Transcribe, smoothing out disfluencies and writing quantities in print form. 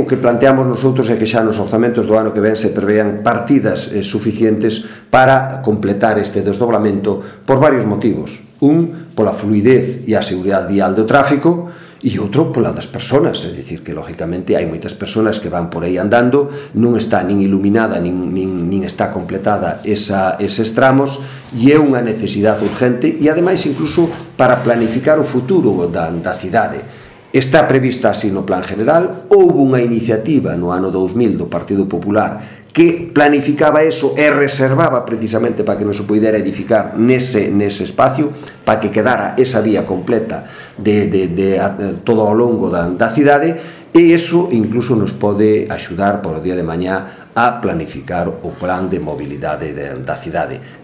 O que planteamos nosotros é que xa nos orzamentos do ano que ven se prevean partidas suficientes para completar este desdoblamento por varios motivos. Un, pola fluidez e a seguridade vial do tráfico, e outro pola das persoas, é dicir que lógicamente hai moitas persoas que van por aí andando, non está nin iluminada nin está completada eses tramos, e é unha necesidade urgente e ademais incluso para planificar o futuro da cidade. Está prevista así no plan general. Houve unha iniciativa no ano 2000 do Partido Popular que planificaba eso e reservaba precisamente para que non se pudera edificar nese espacio, para que quedara esa vía completa de todo ao longo da cidade, e iso incluso nos pode axudar por o día de mañá a planificar o plan de mobilidade da cidade.